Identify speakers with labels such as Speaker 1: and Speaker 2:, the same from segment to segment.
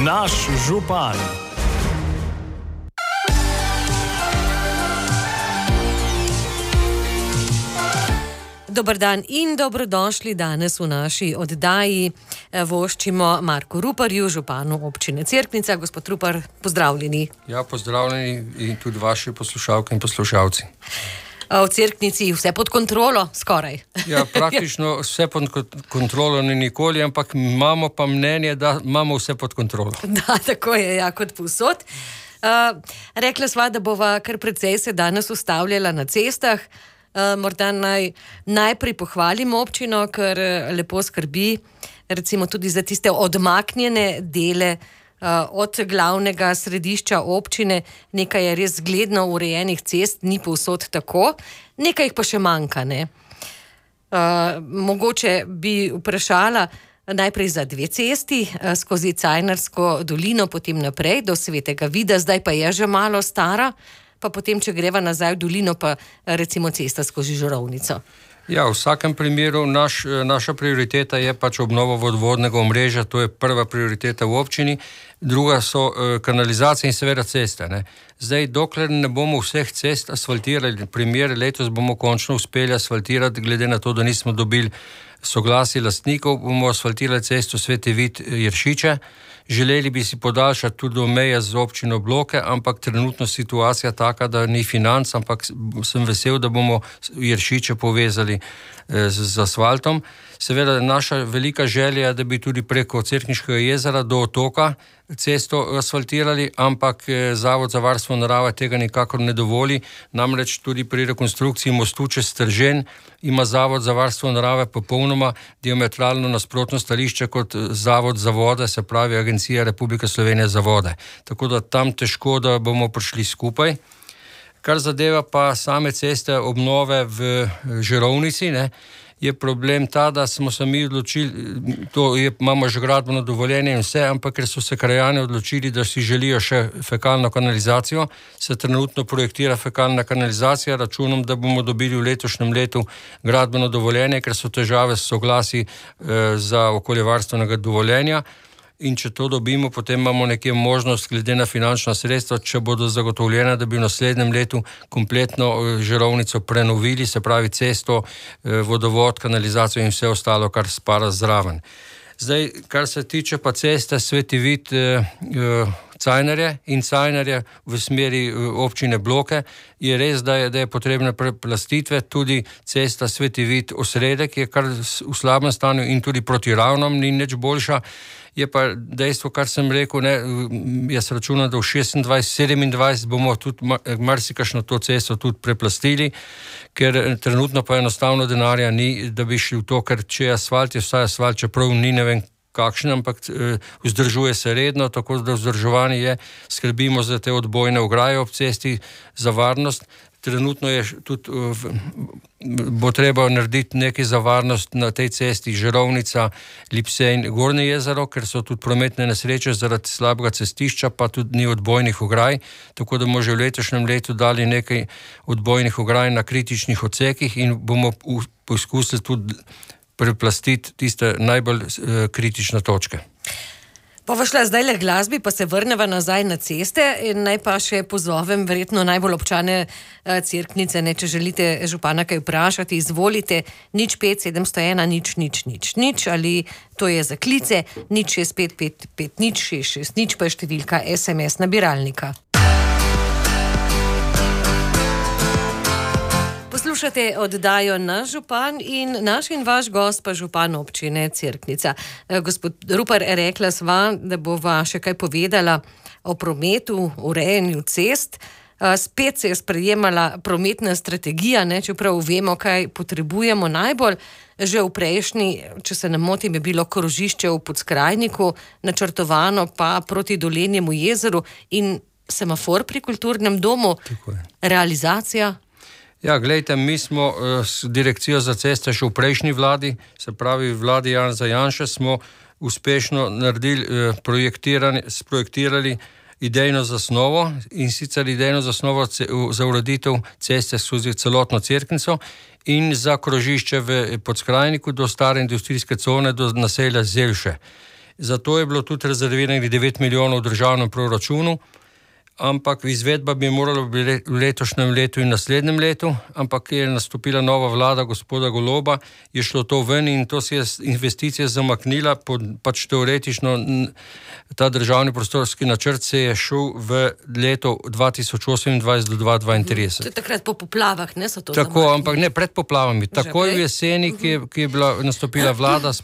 Speaker 1: Naš župan.
Speaker 2: Dober dan in dobrodošli danes v naši oddaji. Voščimo Marku Ruparju, županu občine Cerknica. Gospod Rupar, pozdravljeni.
Speaker 3: Ja, pozdravljeni in tudi vaši poslušalke in poslušalci.
Speaker 2: V Cerknici vse pod kontrolo, skoraj.
Speaker 3: Ja, praktično vse pod kontrolo ni nikoli, ampak imamo pa mnenje, da imamo vse pod kontrolo.
Speaker 2: Da, tako je, ja, kot povsod. Rekla sva, da bova kar precej se danes ustavljala na cestah. Morda najprej pohvalim občino, ker lepo skrbi recimo tudi za tiste odmaknjene dele od glavnega središča občine. Nekaj je res zgledno urejenih cest, ni povsod tako, nekaj jih pa še manjka, ne? Mogoče bi vprašala najprej za 2 cesti, skozi Cajnarsko dolino, potem naprej do Svetega Vida, zdaj pa je že malo stara, pa potem, če greva nazaj v dolino, pa recimo cesta skozi Žurovnico.
Speaker 3: Ja, v vsakem primeru naša prioriteta je pač obnova vodovodnega omrežja, to je prva prioriteta v občini, druga so kanalizacije in seveda ceste, ne. Zdaj, dokler ne bomo vseh cest asfaltirali, letos bomo končno uspeli asfaltirati, glede na to, da nismo dobili soglasje lastnikov, bomo asfaltirali cesto Sveti Vid Jeršiče. Želeli bi si podaljšati tudi do meje z občino Bloke, ampak trenutno situacija taka, da ni financ, ampak sem vesel, da bomo Jeršiče povezali z asfaltom. Seveda naša velika želja je, da bi tudi preko Cerkniškega jezera do otoka cesto asfaltirali, ampak Zavod za varstvo narave tega nikakor ne dovoli. Namreč tudi pri rekonstrukciji mostu čez Stržen ima Zavod za varstvo narave popolnoma diametralno nasprotno stališče kot Zavod za vode, se pravi Agencija Republike Slovenije za vode. Tako da tam težko, da bomo prišli skupaj. Kar zadeva pa same ceste obnove v Žurovnici, ne, je problem ta, da smo se mi odločili, imamo že gradbeno dovoljenje in vse, ampak ker so se krajani odločili, da si želijo še fekalno kanalizacijo, se trenutno projektira fekalna kanalizacija, računom, da bomo dobili v letošnjem letu gradbeno dovoljenje, ker so težave s soglasji za okoljevarstvenega dovoljenja. In če to dobimo, potem imamo nekje možnost, glede na finančna sredstva, če bodo zagotovljena, da bi v naslednjem letu kompletno Žurovnico prenovili, se pravi cesto, vodovod, kanalizacijo in vse ostalo, kar spada zraven. Zdaj, kar se tiče pa ceste Sveti Vid Cajnarje in Cajnarje v smeri občine Bloke, je res, da je potrebne preplastitve, tudi cesta Sveti Vid Osredek je kar v slabem stanju in tudi proti Ravnom ni nič boljša. Je pa dejstvo, kar sem rekel, ne, jaz računam, da v 26-27 bomo tudi marsikakšno to cesto tudi preplastili, ker trenutno pa enostavno denarja ni, da bi šli v to, ker če je asfalt, je vsaj asfalt, čeprav ni ne vem kakšen, ampak vzdržuje se redno, tako da vzdrževanje je, skrbimo za te odbojne ograje ob cesti, za varnost. Trenutno je tudi, bo treba narediti nekaj za varnost na tej cesti Žurovnica, Lipsej, Gornje jezero, ker so tudi prometne nesreče zaradi slabega cestišča, pa tudi ni odbojnih ograj, tako da bomo že v letošnjem letu dali nekaj odbojnih ograj na kritičnih odsekih in bomo poskusili tudi preplastiti tiste najbolj kritične točke.
Speaker 2: Pa šla zdaj le glasbi, pa se vrneva nazaj na ceste in naj pa še pozovem verjetno najbolj občane Cerknice, ne, če želite župana kaj vprašati, izvolite 05 701 000 ali to je za klice 0655 660 pa je številka SMS nabiralnika. Poslušate oddajo Naš župan in naš in vaš gost pa župan občine Cerknica. Gospod Rupar, rekla sva, da bova še kaj povedala o prometu, urejanju cest. Spet se je sprejemala prometna strategija, ne, čeprav vemo, kaj potrebujemo najbolj. Že v prejšnji, če se ne motim, je bilo krožišče v Podskrajniku načrtovano pa proti Dolenjemu jezeru in semafor pri kulturnem domu. Realizacija?
Speaker 3: Ja, glejte, mi smo s direkcijo za ceste še v prejšnji vladi, se pravi vladi Janeza Janše, smo uspešno naredili, sprojektirali idejno zasnovo in sicer idejno zasnovo za ureditev ceste skozi celotno Cerknico in za krožišče v Podskrajniku do stare industrijske cone, do naselja Zelše. Zato je bilo tudi rezerviranih 9 milijonov v državnem proračunu, ampak izvedba bi morala biti v letošnjem letu in naslednjem letu, ampak je nastopila nova vlada gospoda Goloba, je šlo to ven in to se je investicija zamaknila, pač teoretično ta državni prostorski načrt se je šel v leto 2028 do 2032.
Speaker 2: To je takrat po poplavah, ne so to
Speaker 3: tako,
Speaker 2: zamaknili?
Speaker 3: ampak ne pred poplavami. Takoj v jeseni, ki je bila nastopila vlada s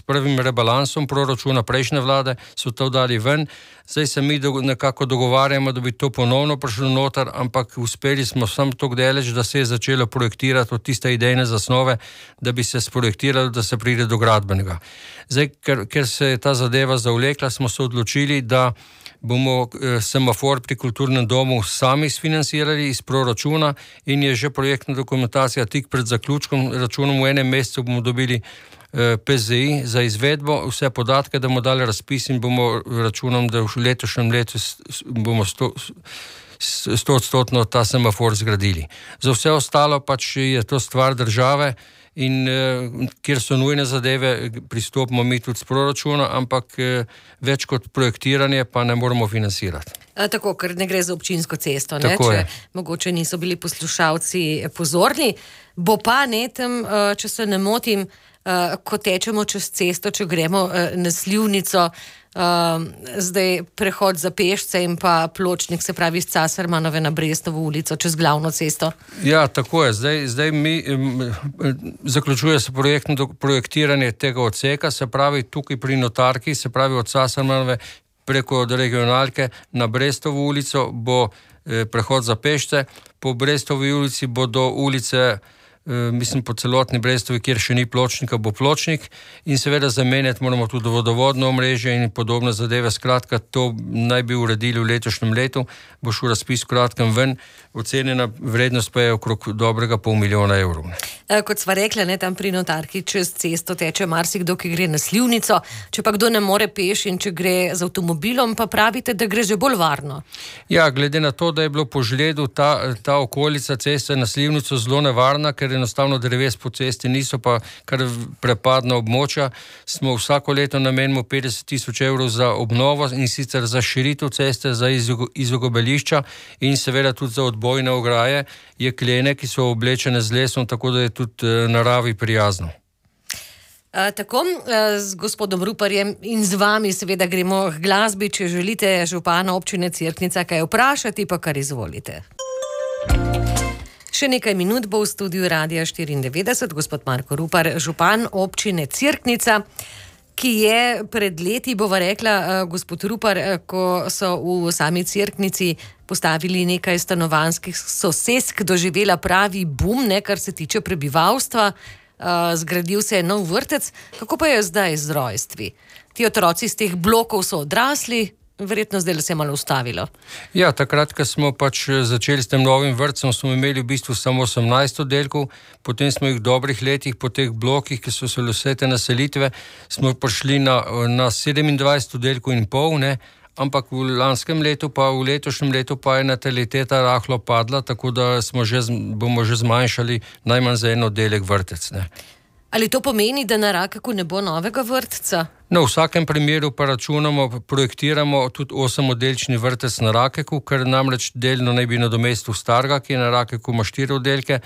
Speaker 3: prvim rebalansom proračuna prejšnje vlade, so to dali ven. Zdaj se mi nekako dogovarjamo, da bi to ponovno prišlo noter, ampak uspeli smo samo tako daleč, da se je začelo projektirati od tiste idejne zasnove, da bi se sprojektiralo, da se pride do gradbenega. Zdaj, ker se je ta zadeva zavlekla, smo se odločili, da bomo semafor pri kulturnem domu sami sfinancirali iz proračuna in je že projektna dokumentacija tik pred zaključkom. Računom v enem mesecu bomo dobili PZI za izvedbo, vse podatke, da bomo dali razpis in bomo računom, da v letošnjem letu bomo 100% ta semafor zgradili. Za vse ostalo pač je to stvar države in kjer so nujne zadeve, pristopimo mi tudi s proračuna, ampak več kot projektiranje pa ne moramo financirati.
Speaker 2: Tako, ker ne gre za občinsko cesto, ne? Če mogoče niso bili poslušalci pozorni. Bo pa tam, če se ne motim, ko tečemo čez cesto, če gremo na Slivnico, zdaj prehod za pešce in pa pločnik, se pravi iz Casarmanove na Brestovo ulico, čez glavno cesto. Ja, tako je. Zdaj mi zaključuje se projektiranje tega odseka, se pravi tukaj pri Notarki, se pravi od Casarmanove preko regionalke na Brestovo ulico bo prehod za pešce, po Brestovi ulici bo do ulice, mislim po celotni Brestovi, kjer še ni pločnika, bo pločnik in seveda zamenjati moramo tudi vodovodno omrežje in podobne zadeve. Skratka, to naj bi uredili v letošnjem letu, bo šel razpis kratkem ven, ocenjena vrednost pa je okrog dobrega $500 000. Kot sva rekla, ne, tam pri Notarki čez cesto teče marsikdo, ki gre na Slivnico, če pa kdo ne more peš in če gre z avtomobilom, pa pravite, da gre že bolj varno.
Speaker 3: Ja, glede na to, da je bilo po žledu ta okolica ceste na Slivnico zelo nevarna, ker enostavno dreves po cesti niso, pa kar prepadna območja, smo vsako leto namenimo 50 000 € za obnovo in sicer za širitev ceste, za izogibališča in seveda tudi za odbojne ograje, jeklene, ki so oblečene z lesom, tako da je tudi naravi prijazno.
Speaker 2: Tako, z gospodom Ruparjem in z vami seveda gremo k glasbi, če želite župana občine Cerknica kaj vprašati, pa kar izvolite. Še nekaj minut bo v studiu Radia 94 gospod Marko Rupar, župan občine Cerknica, ki je pred leti, bova rekla, gospod Rupar, ko so v sami Cerknici postavili nekaj stanovanjskih sosesk, doživela pravi bum, ne, kar se tiče prebivalstva, zgradil se je nov vrtec. Kako pa je zdaj z rojstvi? Ti otroci iz teh blokov so odrasli, verjetno zdaj se je malo ustavilo.
Speaker 3: Ja, takrat, ko smo pač začeli s tem novim vrtcem, smo imeli v bistvu samo 18 oddelkov, potem smo jih v dobrih letih po teh blokih, ki so se vse te naselitve, smo prišli na 27 oddelkov in pol, ne, ampak v lanskem letu pa v letošnjem letu pa je nataliteta rahlo padla, tako da bomo že zmanjšali najmanj za en oddelek vrtec, ne.
Speaker 2: Ali to pomeni, da na Rakeku ne bo novega vrtca?
Speaker 3: No, v vsakem primeru pa računamo, projektiramo tudi 8-oddelčni vrtec na Rakeku, ker namreč delno naj bi nadomestil starega, ki je na Rakeku ima 4 oddelke.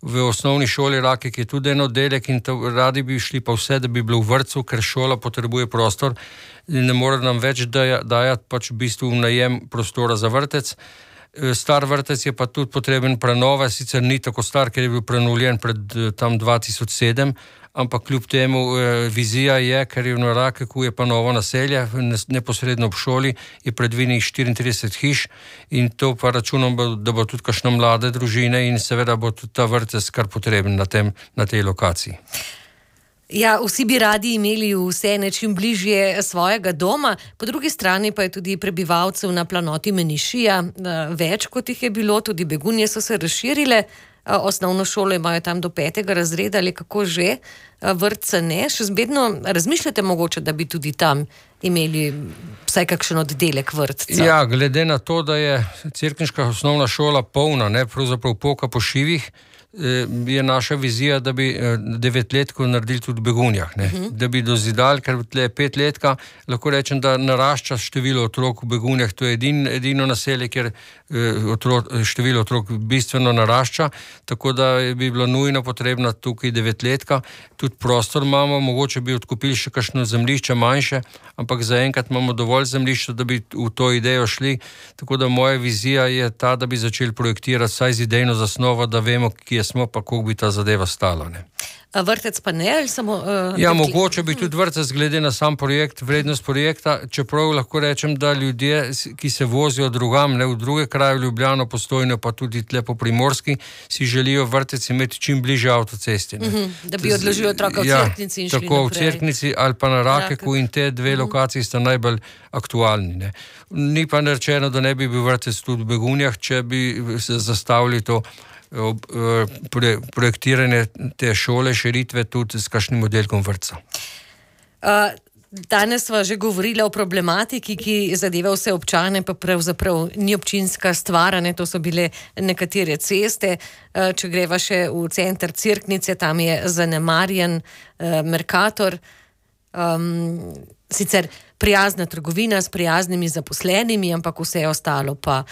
Speaker 3: V osnovni šoli Rakek je tudi en oddelek in radi bi šli pa vse, da bi bilo v vrtcu, ker šola potrebuje prostor in ne more nam več dajati pač v bistvu v najem prostora za vrtec. Star vrtec je pa tudi potreben prenove, sicer ni tako star, ker je bil prenovljen pred tam 2007, ampak kljub temu vizija je, ker je v Rakeku je pa novo naselje, neposredno ob šoli je predvidenih 34 hiš in to pa računam, da bo tudi kakšne mlade družine in seveda bo tudi ta vrtec kar potreben na tej lokaciji.
Speaker 2: Ja, vsi bi radi imeli vse nečim bližje svojega doma, po drugi strani pa je tudi prebivalcev na planoti Menišija več, kot jih je bilo, tudi begunje so se razširile, osnovno šolo imajo tam do 5. razreda ali kako že, vrtca ne, še vedno razmišljate mogoče, da bi tudi tam imeli vsaj kakšen oddelek vrtca? Ja, glede na to, da je cerkniška osnovna šola polna, ne, pravzaprav poka po šivih,
Speaker 3: je naša vizija, da bi 9-letko naredili tudi v Begunjah, ne? Da bi dozidali, ker tle 5-letka, lahko rečem, da narašča število otrok v Begunjah, to je edino naselje, kjer število otrok bistveno narašča, tako da bi bilo nujno potrebno tukaj 9-letka, tudi prostor imamo, mogoče bi odkupili še kakšno zemljišče manjše, ampak zaenkrat imamo dovolj zemljišča, da bi v to idejo šli, tako da moja vizija je ta, da bi začeli projektirati vsaj z idejno zasnovo, da vemo, kje smo, pa koliko bi ta zadeva stala, ne.
Speaker 2: A vrtec pa ne, ali samo...
Speaker 3: mogoče bi tudi vrtec glede na sam projekt, vrednost projekta, čeprav lahko rečem, da ljudje, ki se vozijo drugam, ne, v druge kraje, v Ljubljano, Postojno, pa tudi tle po Primorski, si želijo vrtec imeti čim bliže avtocesti, ne.
Speaker 2: Da bi odložili otroka v Cerknici in šli naprej.
Speaker 3: Tako v Cerknici ali pa na Rakeku in te dve lokaciji sta najbolj aktualni, ne. Ni pa rečeno, da ne bi bil vrtec tudi v Begunjah, če bi se zastavili to projektiranje te šole, širitve tudi s kakšnim oddelkom vrtca.
Speaker 2: Danes sva že govorila o problematiki, ki zadeva vse občane, pa pravzaprav ni občinska stvar, ne, to so bile nekatere ceste. Če greva še v center Cerknice, tam je zanemarjen Mercator, sicer prijazna trgovina s prijaznimi zaposlenimi, ampak vse ostalo pa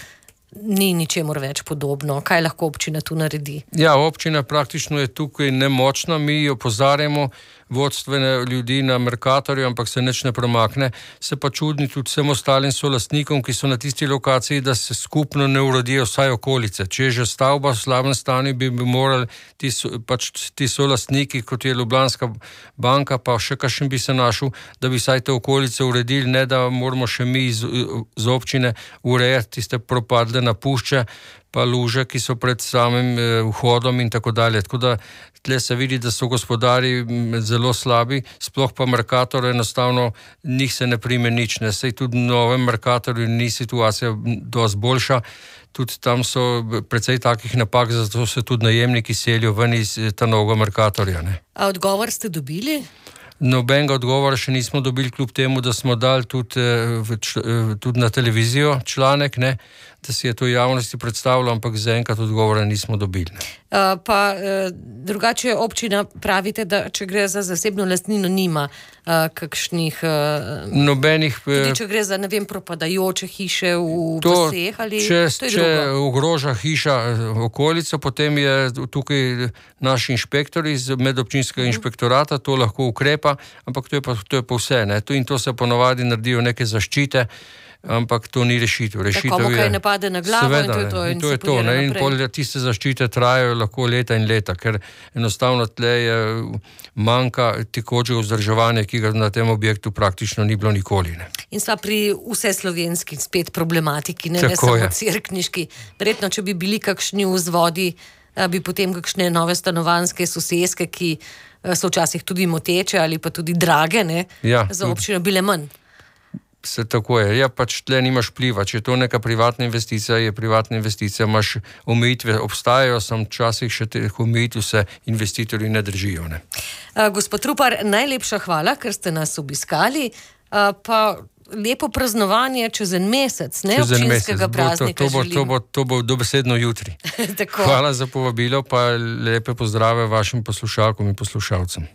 Speaker 2: ni ničemur več podobno. Kaj lahko občina tu naredi?
Speaker 3: Ja, občina praktično je tukaj nemočna, mi opozarjamo vodstvene ljudi na Mercatorju, ampak se nič ne premakne. Se pa čudni tudi vsem ostalim solastnikom, ki so na tisti lokaciji, da se skupno ne uredijo vsaj okolice. Če je že stavba v slabem stanju, bi morali ti solastniki, kot je Ljubljanska banka, pa še kakšen bi se našel, da bi vsaj te okolice uredili, ne da moramo še mi z občine urejati tiste propadle napušče, pa luže, ki so pred samim vhodom in tako dalje. Tako da tle se vidi, da so gospodari zelo slabi, sploh pa Mercator enostavno njih se ne prime nič, ne. Sej tudi v novem Mercatorju ni situacija dosti boljša, tudi tam so precej takih napak, zato se tudi najemniki selijo ven iz ta novega Mercatorja, ne.
Speaker 2: A odgovor ste dobili?
Speaker 3: Nobenega odgovora še nismo dobili, kljub temu, da smo dali tudi na televizijo članek, ne, da si je to javnosti predstavilo, ampak zaenkrat odgovora nismo dobili.
Speaker 2: Drugače občina pravite, da če gre za zasebno lastnino, nima kakšnih...
Speaker 3: Nobenih...
Speaker 2: Tudi če gre za, ne vem, propadajoče hiše v vseh, ali...
Speaker 3: Če ogroža hiša okolico, potem je tukaj naš inšpektor iz medobčinskega inšpektorata, to lahko ukrepa, ampak to je pa vse, ne. In to se ponovadi naredijo neke zaščite, ampak to ni rešitev.
Speaker 2: Komu kaj ne pade na glavo, seveda, in to je to.
Speaker 3: In pol tiste zaščite trajajo lahko leta in leta, ker enostavno tle je manjka tekoče vzdrževanje, ki ga na tem objektu praktično ni bilo nikoli, ne.
Speaker 2: In sva pri vseslovenski spet problematiki, ne samo cerkniški. Verjetno, če bi bili kakšni vzvodi, bi potem kakšne nove stanovanjske soseske, ki so včasih tudi moteče ali pa tudi drage, ne, za občino bile manj.
Speaker 3: Se tako je. Ja, pač tle nimaš vpliva. Če je to neka privatna investicija, je privatna investicija, imaš omejitve, obstajajo, sem včasih še teh omejitev se investitorji ne držijo, ne.
Speaker 2: Gospod Rupar, najlepša hvala, ker ste nas obiskali, pa lepo praznovanje čez en mesec, ne, občinskega praznika želim.
Speaker 3: To bo dobesedno jutri. Hvala za povabilo, pa lepe pozdrave vašim poslušalkom in poslušalcem.